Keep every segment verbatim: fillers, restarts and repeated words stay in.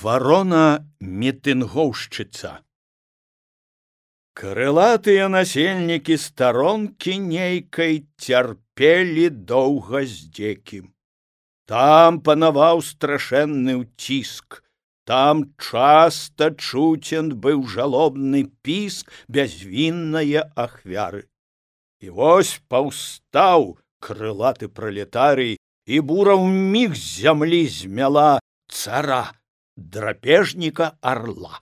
Варона-мітынгоўшчыца. Крылатыя насельнікі старонкі нейкай цярпелі доўга здзекі. Там панаваў страшэнны ўціск, там часта чуцен быў жалобны піск бязвіннае ахвяры. І вось паўстаў крылаты пралетарый, і бура ўміг з зямлі змяла цара, драпежніка арла.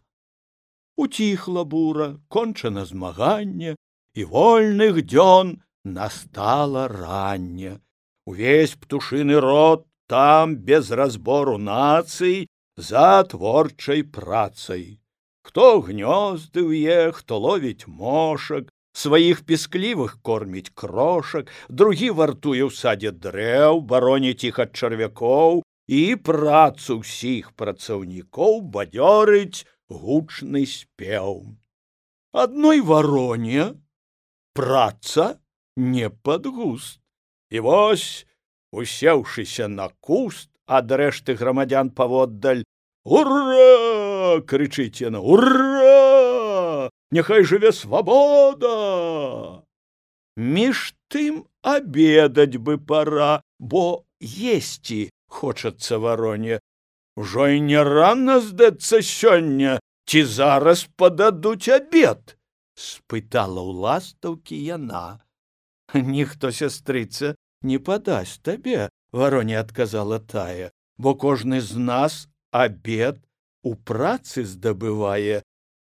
Уціхла бура, кончана змаганне, і вольных дзён настала ранне. Увесь птушыны род там без разбору нацый за творчай працай. Хто гнёзды ўе, хто ловіць мошак, сваіх пісклівых корміць крошак, другі вартуе ў садзе дрэў, бароніць іх ад чарвякоў, і працу ўсіх працаўнікоў бадзёрыць гучны спеў. Адной вароне праца не пад густ. І вось, усеўшыся на куст, ад рэшты грамадзян паводдаль: «Ура!» — крычыць яна, «Ура! Няхай жыве свабода!» Між тым абедаць бы пара, бо есці хочацца вароне. Ужо і не рана, здацца, сёння, ці зараз пададуць абед? Спытала ў ластаўкі яна. Ніхто, сястрыца, не падасць табе, вароне адказала тая, бо кожны з нас абед у працы здабывае,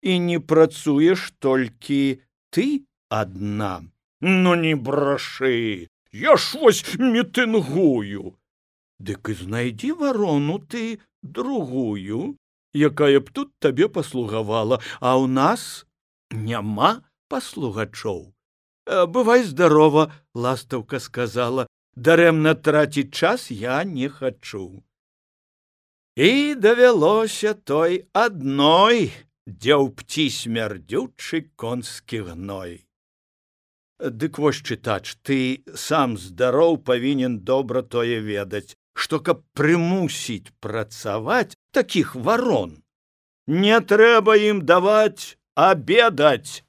і не працуеш толькі ты адна. Ну не брашы, я ж вось мітынгую. Дык і знайдзі варону ты другую, якая б тут табе паслугавала, а ў нас няма паслугачоў. Бывай здарова, ластаўка сказала, дарэмна траціць час я не хачу. І давялося той адной, дзе ў пці смярдзючы конскі гной. Дык вось, чытач, ты сам здароў павінен добра тое ведаць, што каб прымусіць працаваць такіх варон, не трэба ім даваць абедаць.